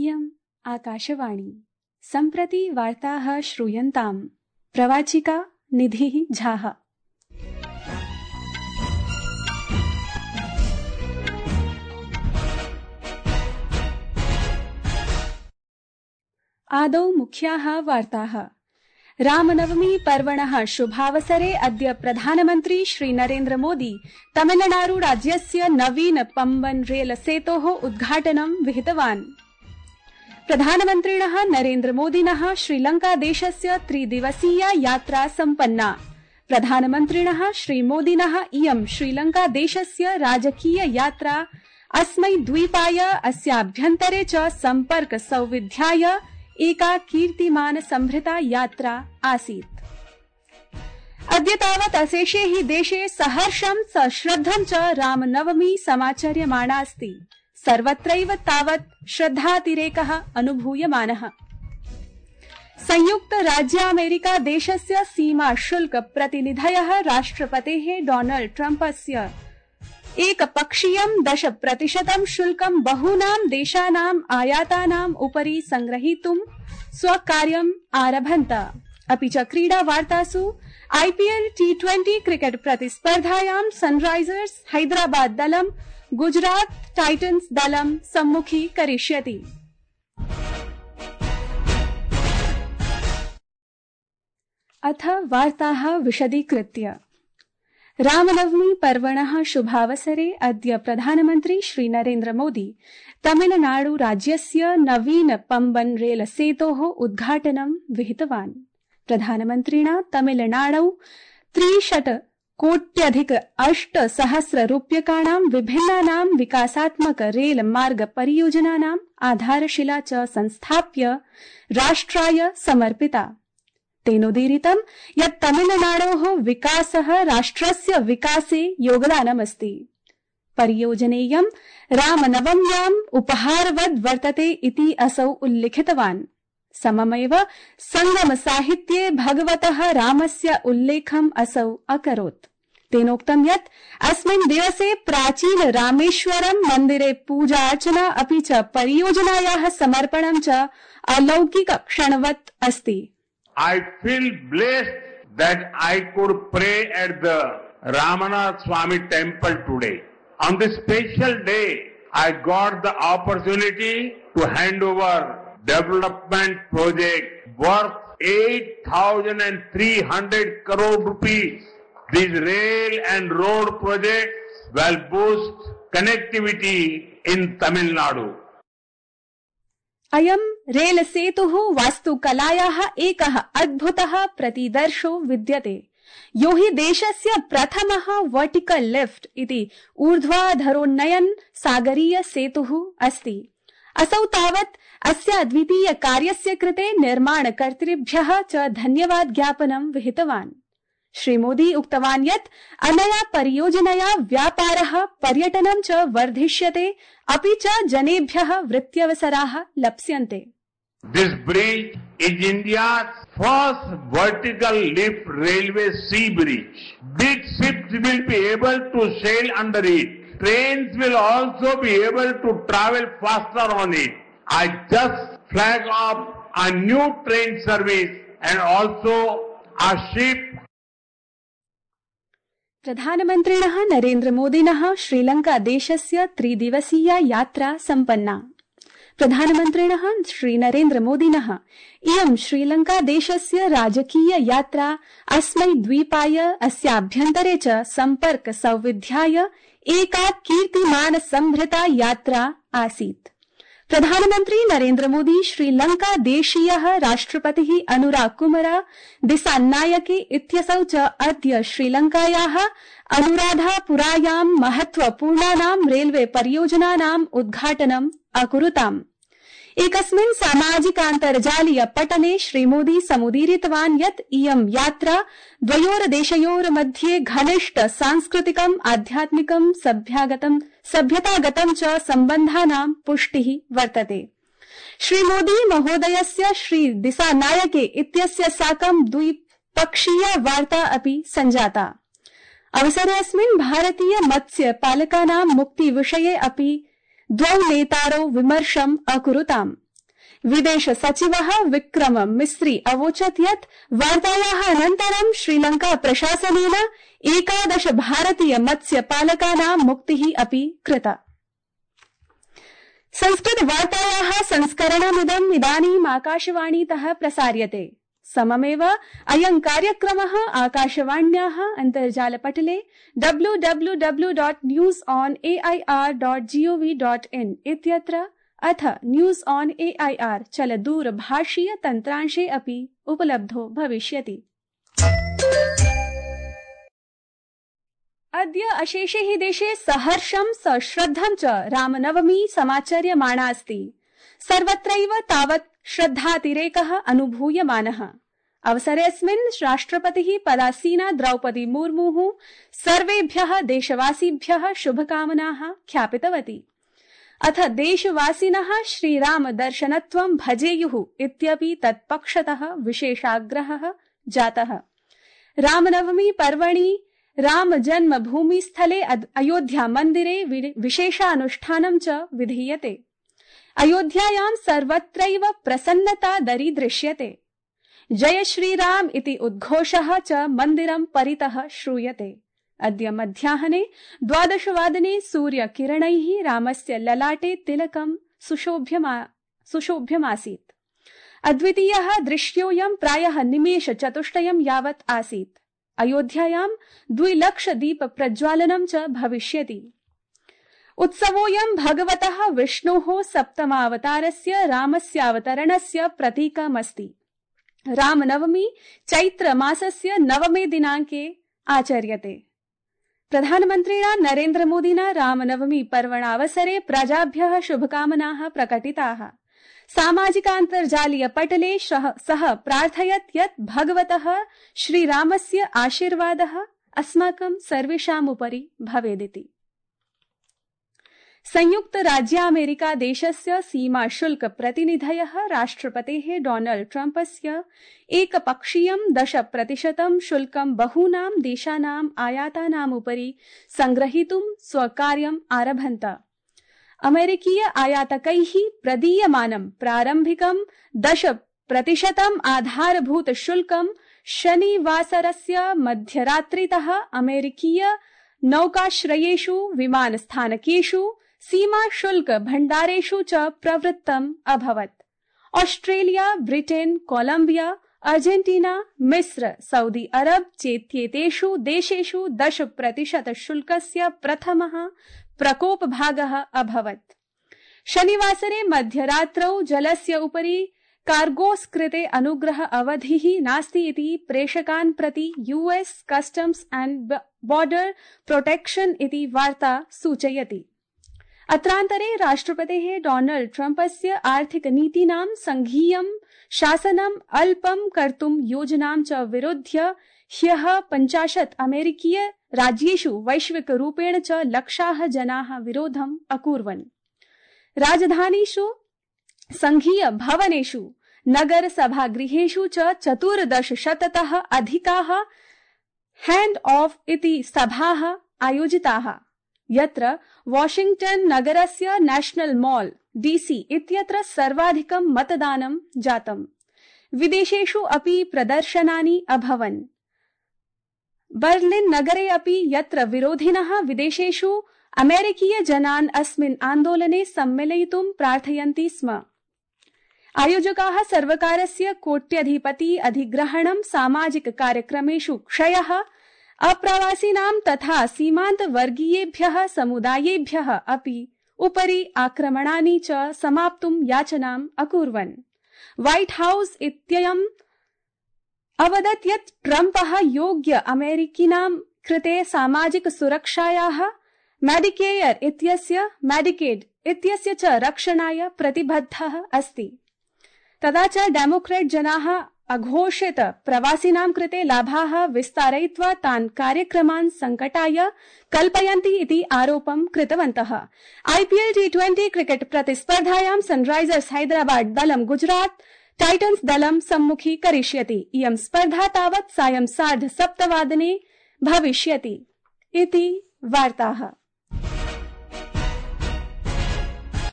इयम् आकाशवाणी। सम्प्रति वार्ताः श्रूयन्ताम्। प्रवाचिका निधिः झाः। आदौ मुख्याः वार्ताः। रामनवमी पर्वणः शुभावसरे अद्य प्रधानमन्त्री श्री नरेन्द्र मोदी तमिलनाडु राज्यस्य नवीन पम्बन रेल सेतोः उद्घाटनं विहितवान्। प्रधानमन्त्रिणः नरेन्द्र मोदिनः श्रीलंका देशस्य 3 दिवसीया यात्रा सम्पन्ना। प्रधानमन्त्रिणः श्री मोदिनः इयं श्रीलंका देशस्य राजकीय यात्रा अस्मै द्वीपाय अस्याभ्यन्तरे च सम्पर्क सौविध्याय एका कीर्तिमान संभृता यात्रा आसीत्। अद्य तावत् अशेषे हि देशे सहर्षं सश्रद्धं च रामनवमी समाचर्यमाणा अस्ति। सर्वत्रैव तावत् श्रद्धातिरेकः अनुभूयमानः। संयुक्त राज्यामेरिका देशस्य सीमा शुल्क प्रतिनिधयः राष्ट्रपतेः डोनाल्ड ट्रम्पस्य एकपक्षीयं 10% शुल्कं बहूनां देशानाम् आयातानाम् उपरि संग्रहीतुं स्वकार्यम् आरभन्त। अपि च क्रीडा वार्तासु IPL T20 क्रिकेट प्रतिस्पर्धायां सनराइजर्स हैदराबाद दलं गुजरात टाइटन्स दलं सम्मुखीकरिष्यति। अथ वार्ताः विशदीकृत्य। रामनवमी पर्वणः शुभावसरे अद्य प्रधानमन्त्री श्री नरेन्द्र मोदी तमिलनाडु राज्यस्य नवीन पम्बन रेल सेतोः उद्घाटनं विहितवान्। प्रधानमन्त्रिणा तमिलनाडौ 63 कोट्यधिक 8,000 रूप्यकाणां विभिन्नानां विकासात्मक रेल मार्ग परियोजनानाम् आधारशिला च संस्थाप्य राष्ट्राय समर्पिता। तेनोदीरितं यत् तमिलनाडोः विकासः राष्ट्रस्य विकासे योगदानमस्ति। परियोजनेयं रामनवम्याम् उपहारवद् वर्तते इति असौ उल्लिखितवान्। सममेव संगम साहित्ये भगवतः रामस्य उल्लेखम् असौ अकरोत्। तेनोक्तं यत् अस्मिन् दिवसे प्राचीन रामेश्वरं मन्दिरे पूजा अर्चना अपि च परियोजनायाः समर्पणं च अलौकिक क्षणवत् अस्ति। I feel blessed that I could pray at the Ramanath Swami temple today. On this special day, I got the opportunity to hand over development project worth 8,300 crore rupees. These rail and road projects will boost connectivity in Tamil Nadu. अयं rail सेतुः वास्तुकलायाः एकः अद्भुतः प्रतिदर्शो विद्यते, यो हि देशस्य प्रथमः vertical lift इति ऊर्ध्वाधरोन्नयन सागरीय सेतुः अस्ति। असौ तावत् अस्य द्वितीय कार्यस्य कृते निर्माणकर्तृभ्यः च धन्यवाद ज्ञापनं विहितवान्। श्री मोदी उक्तवान् यत् अनया परियोजनया व्यापारः पर्यटनं च वर्धिष्यते, अपि च जनेभ्यः वृत्त्यवसराः लप्स्यन्ते। This bridge is India's first vertical lift railway sea bridge. Big ships will be able to sail under it. Trains will also be able to travel faster on it. I just flag off a new train service and also a ship. प्रधानमन्त्रिणः नरेन्द्र मोदिनः श्रीलंका देशस्य 3 दिवसीया यात्रा सम्पन्ना। प्रधानमन्त्रिणः श्री नरेन्द्र मोदिनः इयं श्रीलंका देशस्य राजकीय यात्रा अस्मै द्वीपाय अस्याभ्यन्तरे च सम्पर्क सौविध्याय एका कीर्तिमान संभृता यात्रा आसीत्। प्रधानमन्त्री नरेन्द्र मोदी श्रीलंका देशीयः राष्ट्रपतिः अनुराग कुमार दिसानायके इत्यसौ च अद्य श्रीलंकायाः अनुराधापुरायां महत्वपूर्णानां रेलवे परियोजनानाम् उद्घाटनम् अकुरुताम्। एकस्मिन् सामाजिकान्तर्जालीय पटने श्रीमोदी समुदीरितवान् यत् इयं यात्रा द्वयोर्देशयोर् मध्ये घनिष्ठ सांस्कृतिकम् आध्यात्मिकम् सभ्यतागतं च सम्बन्धानां पुष्टिः वर्तते। श्रीमोदी महोदयस्य श्री दिसानायके इत्यस्य साकं द्विपक्षीया वार्ता अपि सञ्जाता। अवसरेऽस्मिन् भारतीय मत्स्य पालकानां मुक्ति विषये अपि द्वौ नेतारौ विमर्शम् अकुरुताम्। विदेश सचिवः विक्रम मिस्री अवोचत् यत् वार्तायाः अनन्तरं श्रीलंका प्रशासनेन 11 भारतीय मत्स्य पालकानां मुक्तिः अपि कृता। संस्कृत वार्तायाः संस्करणमिदम् इदानीम् आकाशवाणीतः प्रसार्यते। सममेव अयं कार्यक्रमः आकाशवाण्याः अन्तर्जालपटले www.newsonair.gov.in इत्यत्र अथ न्यूज ऑन एआईआर चलदूरभाषीय तन्त्रांशे अपि उपलब्धो भविष्यति। अद्य अशेषे हि देशे सहर्षं सश्रद्धं च रामनवमी समाचर्यमाणा अस्ति। सर्वत्रैव तावत् श्रद्धातिरेकः अनुभूयमानः। अवसरेऽस्मिन् राष्ट्रपतिः पदासीना द्रौपदी मुर्मुः सर्वेभ्यः देशवासिभ्यः शुभकामनाः ख्यापितवती। अथ देशवासिनः श्रीराम दर्शनत्वं भजेयुः इत्यपि तत्पक्षतः विशेषाग्रहः जातः। रामनवमी पर्वणि राम जन्मभूमिस्थले अयोध्या मन्दिरे विशेषानुष्ठानं च विधीयते। अयोध्यायां सर्वत्रैव प्रसन्नता दरीदृश्यते। जय श्रीराम इति उद्घोषः च मन्दिरं परितः श्रूयते। अद्य मध्याह्ने 12 वादने सूर्यकिरणैः रामस्य ललाटे तिलकं सुशोभ्यमासीत्। अद्वितीयः दृश्योऽयं प्रायः निमेषचतुष्टयं यावत् आसीत्। अयोध्यायां 2 लाख दीप प्रज्वालनं च भविष्यति। उत्सवोऽयं भगवतः विष्णोः सप्तमावतारस्य रामस्यावतरणस्य प्रतीकमस्ति। रामनवमी चैत्रमासस्य 9 दिनाङ्के आचर्यते। प्रधानमन्त्रिणा नरेन्द्रमोदिना रामनवमी पर्वणावसरे प्रजाभ्यः शुभकामनाः प्रकटिताः। सामाजिकान्तर्जालीय पटले सः प्रार्थयत् यत् भगवतः श्रीरामस्य आशीर्वादः अस्माकं सर्वेषामुपरि भवेदिति। संयुक्त राज्यामेरिका देशस्य सीमा शुल्क प्रतिनिधयः राष्ट्रपतेः डोनाल्ड ट्रम्पस्य एकपक्षीयं 10% शुल्कं बहूनां देशानाम् आयातानामुपरि संग्रहीतुं स्वकार्यम् आरभन्त। अमेरिकीय आयातकैः प्रदीयमानं प्रारम्भिकं 10% आधारभूत शुल्कं शनिवासरस्य मध्यरात्रितः अमेरिकीय नौकाश्रयेषु, विमानस्थानकेषु, सीमा शुल्क भण्डारेषु च प्रवृत्तम् अभवत्। ऑस्ट्रेलिया, ब्रिटेन, कोलंबिया, अर्जेंटीना, मिस्र, सऊदी अरब चेत्येतेषु देशेषु 10% शुल्कस्य प्रथमः प्रकोपभागः अभवत्। शनिवासरे मध्यरात्रौ जलस्य उपरि कार्गोस् कृते अनुग्रह अवधिः नास्ति इति प्रेषकान् प्रति US customs and border protection इति वार्ता सूचयति। अत्रान्तरे राष्ट्रपतेः डोनाल्ड ट्रम्पस्य आर्थिकनीतीनां संघीयं शासनम् अल्पं कर्तुं योजनां च विरुध्य ह्यः 50 अमेरिकीय राज्येषु वैश्विकरूपेण च लक्षाः जनाः विरोधम् अकुर्वन्। राजधानीषु, संघीय भवनेषु, नगर सभागृहेषु च 1400तः अधिकाः हैंड ऑफ इति सभाः आयोजिताः, यत्र वाशिंगटन नगरस्य नेशनल मॉल डीसी इत्यत्र सर्वाधिकं मतदानं जातम्। विदेशेषु अपि प्रदर्शनानि अभवन्। बर्लिन नगरे अपि, यत्र विरोधिनः विदेशेषु अमेरिकीय जनान् अस्मिन् आन्दोलने सम्मिलयितुं प्रार्थयन्ति स्म। आयोजकाः सर्वकारस्य कोट्यधिपति अधिग्रहणं, सामाजिक कार्यक्रमेषु क्षयः, अप्रवासिनां तथा सीमान्तवर्गीयेभ्यः समुदायेभ्यः अपि उपरि आक्रमणानि च समाप्तुं याचनाम् अकुर्वन्। व्हाइट हाउस इत्ययम् अवदत् यत् ट्रम्पः योग्य अमेरिकीनां कृते सामाजिक सुरक्षायाः, मेडिकेड इत्यस्य च रक्षणाय प्रतिबद्धः अस्ति। तथा च डेमोक्रेट जनाः अघोषित प्रवासिनां कृते लाभाः विस्तारयित्वा तान् कार्यक्रमान् संकटाय कल्पयन्ति इति आरोपं कृतवन्तः। आईपीएल T20 क्रिकेट प्रतिस्पर्धायां सनराइजर्स हैदराबाद दलं गुजरात टाइटन्स दलं सम्मुखीकरिष्यति। इयं स्पर्धा तावत् सायं 7:30 भविष्यति इति वार्ताः।